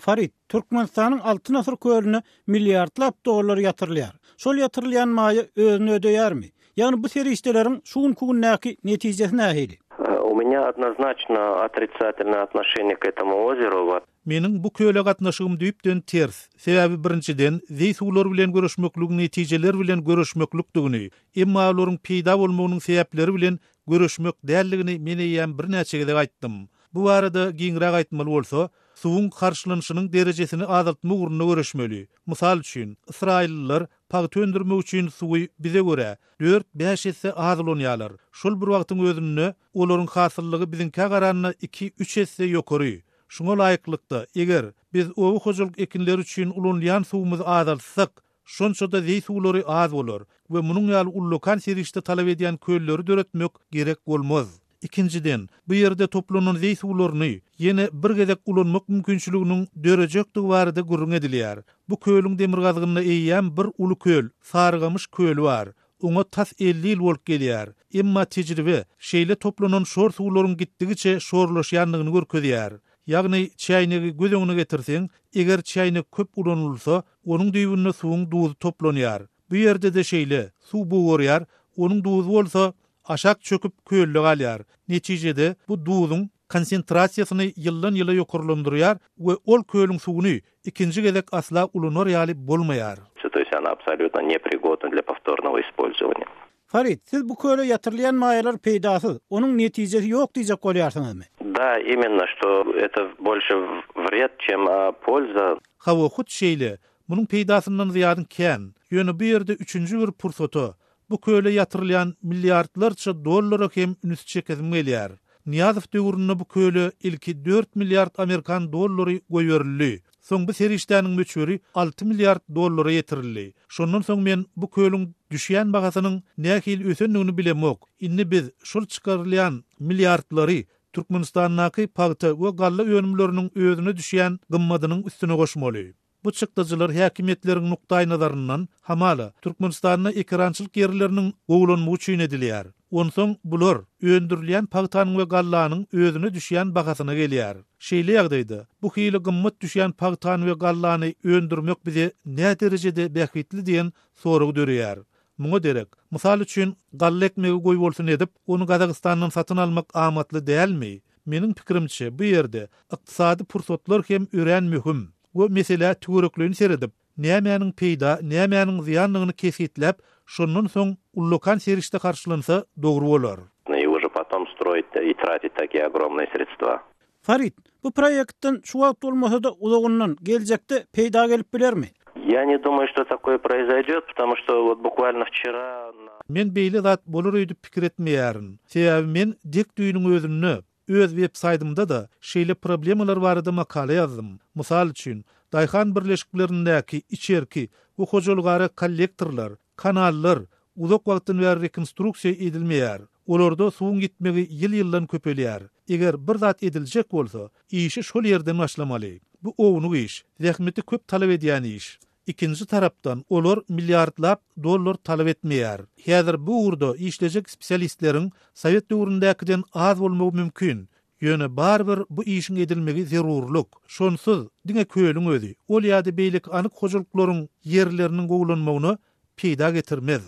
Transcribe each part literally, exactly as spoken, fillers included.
Farid, Türkmenistanyň Altyn asyr kölüne milliardlap dollar ýatyrylýar. Şol ýatyrylýan maýa özüni ödeýärmi? Ýagny bu serişdeleriň şu günki gündäki netijesi nähili? У меня однозначно отрицательное отношение к этому озеру. Meniň bu köle gatnaşygym düýpden ters. Sebäbi birinjiden zeý suwlar bilen göreşmekligiň netijeler bilen göreşmeklikdigini, emma olaryň peýda bolmagynyň sebäpleri bilen göreşmek däldigini men eýýäm birnäçe gezek aýtdym. Bu barada giňräk aýtmaly bolsa, suwuň harçlanyşynyň derejesini azaltmak ugrunda göreşmeli. Mysal üçin, Ysraýyllylar pagta öndürmek üçin suwy bize görä dört-bäş esse az ulanýarlar. Şol bir wagtyň özünde olaryň hasyllygy biziňkä garanda iki-üç esse ýokary. Şuňa laýyklykda, eger biz oba hojalyk ekinleri üçin ulanylýan suwumyzy azaltsak, şonça-da zeý suwlary az bolar we munuň ýaly ullakan serişde talap edýän kölleri döretmek gerek bolmaz. Ikinjiden, bu ýerde toplanan zeý suwlaryny ýene bir gezek ulanmak mümkinçiliginiň dörejekdigi barada gürrüň edilýär. Bu kölüň demirgazygynda eýýäm bir uly köl, Sarygamyş köli bar. Oňa tas elli ýyl bolup gelýär. Emma tejribe şeýle toplanan şor suwlaryň gitdigiçe şorlaşýandygyny görkezýär. Ýagny çäýnegi göz öňüne getirseň, eger çäýnek köp ulanylsa, onuň düýbünde suwuň duzy toplanýar. Bu ýerde-de şeýle, suw bugarýar, onuň duzy bolsa aşak çöküp kölde galýar. Netijede bu duzuň konsentrasiýasyny ýyldan ýyla ýokarlandyrýar we ol kölüň suwuny ikinji gezek asla ulanar ýaly bolmaýar. То есть она абсолютно непригодна для повторного использования. Farid, siz bu köle ýatyrylýan maýalar peýdasyz, onuň netijesi ýok diýjek bolýarsyňyzmy? Да, именно, что это больше вред, чем польза. Hawa hut şeýle, munuň peýdasyndan zyýadyň kän. Ýöne bu ýerde üçünji bir pursata bu köle ýatyrylýan milliardlarça dollara hem üns çekesim gelýär. Niýazow döwründe bu köle ilki dört milliard Amerikan dollary goýberildi. Soň bu serişdäniň möçberi alty milliard dollara ýetirildi. Şondan soň men bu kölüň düşýän bahasynyň nähili ösendigini bilemok. Indi biz şol çykarylýan milliardlary Türkmenistandaky pagta we galla önümleriniň özüne düşýän gymmadynyň üstüne goşmaly. Bu çykdajylar häkimiýetleriň nukdaý nazaryndan hamala Türkmenistanda ekerançylyk ýerleriniň gowulanmagy üçin edilýär. Onsoň bular öndürilýän pagtanyň we gallanyň özüne düşýän bahasyna gelýär. Şeýle ýagdaýda bu hili gymmat düşýän pagtany we gallany öndürmek bize näme derejede bähbitli diýen sorag döreýär. Muňa derek, mysal üçin galla ekmegi goý bolsun edip, ony Gazagystandan satyn almak amatly dälmi? Meniň pikirimçe bu ýerde ykdysady pursatlar hem örän möhüm. We mesele töwereklerini seredip, nämäniň peýda, nämäniň zyýanlygyny kesgitläp, şondan soň ullakan serişde harçlansa dogry bolar. И уже потом строить и тратить такие огромные средства. Farid, bu proýektden şu wagt bolmasa-da uzagyndan geljekde peýda gelip bilermi? Я не думаю, что такое произойдет, потому что вот буквально вчера Men beýle zat bolar öýdüp pikir etmeýärin. Sebäbi men dek düýnüň özünde öz web saýtymda da şeýle problemalar barada makala ýazdym. Mysal üçin, daýhan birleşiklerindäki içerki we hojalygara kollektorlar, kanallar uzak wagtdan bäri rekonstruksiýa edilmeýär. Olarda suwuň gitmegi ýyl-ýyldan köpelýär. Eger bir zat ediljek bolsa, işi şol ýerden başlamaly. Bu ownuk iş, zähmeti köp talap edýän iş. Ikinji tarapdan olar milliardlap dollar talap etmeýär. Häzir bu ugurda işlejek spesialistleriň Sowet döwründäkiden az bolmagy mümkin. Ýöne barybir bu işiň edilmegi zerurlyk. Şonsuz diňe kölüň özi, ol ýa-da beýleki anyk hojalyklaryň ýerleriniň gowulanmagyna peýda getirmez.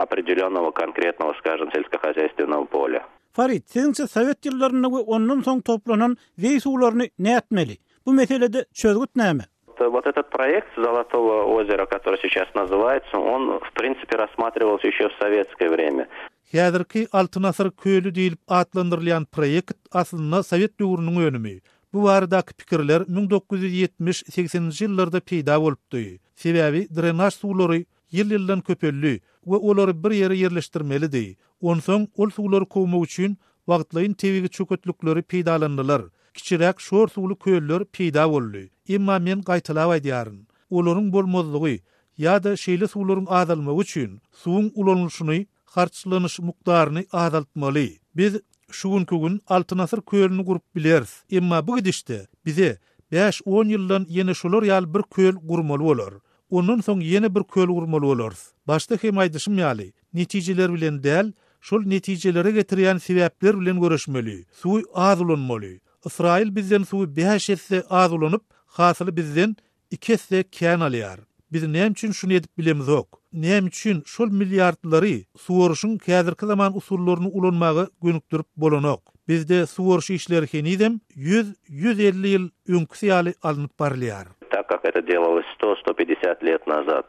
Определенного конкретного, скажем, сельскохозяйственного поля. Farid, siziňçe Sowet ýyllarynda we ondan soň toplanan zeý suwlaryny nätmeli? Bu meselede çözgüt näme? Вот этот проект Золотого озера, который сейчас называется, он, в принципе, рассматривался еще в советское время. Häzirki Altyn asyr köli diýilip atlandyrylýan proýekt aslynda Sowet döwrüniň önümi. Bu baradaky pikirler müň dokuz ýüz ýetmiş sekseninji ýyllarda peýda bolupdy. Sebäbi drenaj suwlary ýyl-ýyldan köpeldi we olary bir ýere ýerleşdirmelidi. Onsoň ol suwlary kowmak üçin wagtlaýyn tebigy çöketlikleri peýdalandylar. Kiçiräk şor suwly köller peýda boldy. Emma men gaýtalap aýdýaryn. Olaryň bolmazlygy ýa-da şeýle suwlaryň azalmagy üçin suwuň ulanylyşyny, harçlanyş mukdaryny azaltmaly. Biz şu günkü gün Altyn asyr kölüni gurup bileris. Emma bu gidişde bize bäş on ýyldan ýene şolar ýaly bir köl gurmaly bolar. Ondan soň ýene bir köl gurmaly bolarys. Başda hem aýdyşym ýaly, netijeler bilen däl, şol netijelere getirýän sebäpler bilen görüşmeli. Suwy az ulanmaly. Ysraýyl bizden suwy bäş esse az ulanyp, Hasyly bizden iki esse kän alýar. Biz näme üçin şuny edip bilemizok? Näme üçin şol milliardlary suwaryşyň häzirki zaman usullaryny ulanmaga gönükdirip bolanok? Bizde suwaryş işleri henizem ýüz, ýüz elli ýyl öňküsi ýaly alnyp barylýar. Так как это делалось сто, сто пятьдесят лет назад.